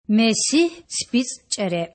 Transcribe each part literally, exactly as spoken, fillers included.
Месигь ципицІ чІере.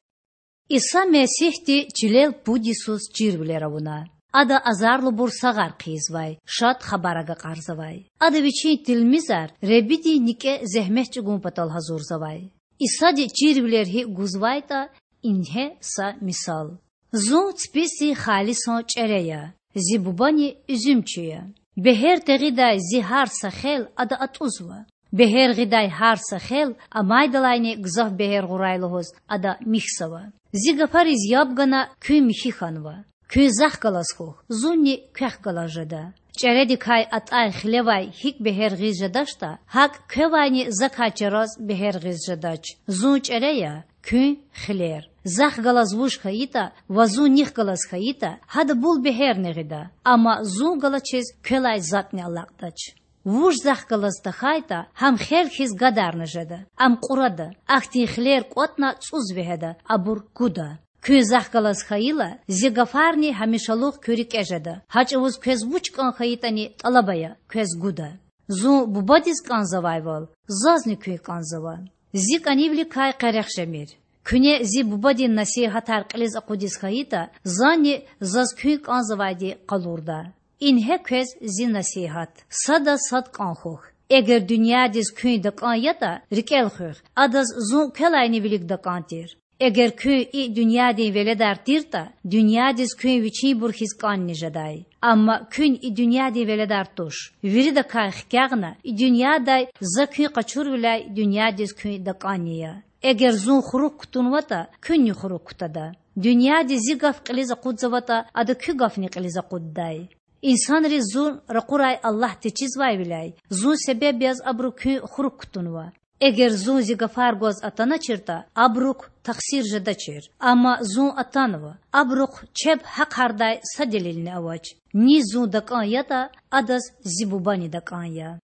Иса Месигьди чилел пуд йисуз чирвилер авуна. Ада азарлубур сагъар хъийизвай, Шад Хабар агакьарзавай. Ада Вичин тилмизар Худадин никІе зегьмет чІугун патал гьазурзавай. Исади чирвилер гьикІ гузвайтІа, ингье са мисал: Зун ципицІдин халисан чІере я, Зи Бубани уьзуьмчи я. Бегьер тегъидай Зи гьар са хел Ада атІузва. Бегьер гъидай гьар са хел амайдалайни гзаф бегьер гъурай лугьуз Ада михьзава. Зи гафариз яб гана куьн михьи хьанва. Куьн Захъ галаз хьухь, Зунни квехъ галаз жеда. ЧІередикай атІай хилевай гьикІ бегьер гъиз жедачтІа, гьакІ квевайни Закай чараз бегьер гъиз жедач. Зун чІере я, куьн— хилер. Захъ галаз вуж хьайитІа ва Зун нихъ галаз хьайитІа, гьада бул бегьерни гъида, амма Зун галачиз квелай затІни алакьдач. Вуж Захъ галаз тахьайтІа, гьам хел хьиз гадарна жеда, ам кьурада, ахьтин хилер кІватІна цІуз вегьеда, абур куда. Куьн Захъ галаз хьайила, Зи гафарни гьамишалугъ куь рикІе жеда, гьа чІавуз квез вуч кІан хьайитІани тІалаб ая, квез гуда. Зун Бубадиз кІанзавайвал, Зазни куьн кІанзава. Зи кІанивиликай къерех жемир. Куьне Зи Бубадин насигьатар кьилиз акъудиз хьайитІа, Зани Заз куьн кІанзавайди къалурда. Ингье квез Зи насигьат: садаз сад кІан хьухь. Эгер дуьньядиз куьн такІан ятІа, рикІел хуьх, адаз Зун квелайни вилик такІан тир. Эгер куьн и дуьньядин веледар тиртІа, дуьньядиз куьн вичинбур хьиз кІанни жедай. Амма куьн и дуьньядин веледар туш. Виридакай хкягъна, и дуьньядай За куьн къачурвиляй дуьньядиз куьн такІанни я. Эгер Зун хурук кутунватІа, куьнни хурук кутада. Дуьньяди Зи гаф кьилиз акъудзаватІа, ада куь гафни кьилиз акъуддай. Инсанриз Зун ракъурай Аллагь течизвайвиляй, Зун себеб яз абуру куьн хурук кутунва. Эгер Зун Зи гафар гваз атаначиртІа, абурук тахсир жедачир. Амма Зун атанва, абурухъ чеб гьахъардай са делилни авач. Низ Зун такІан ятІа, адаз Зи Бубани такІан я.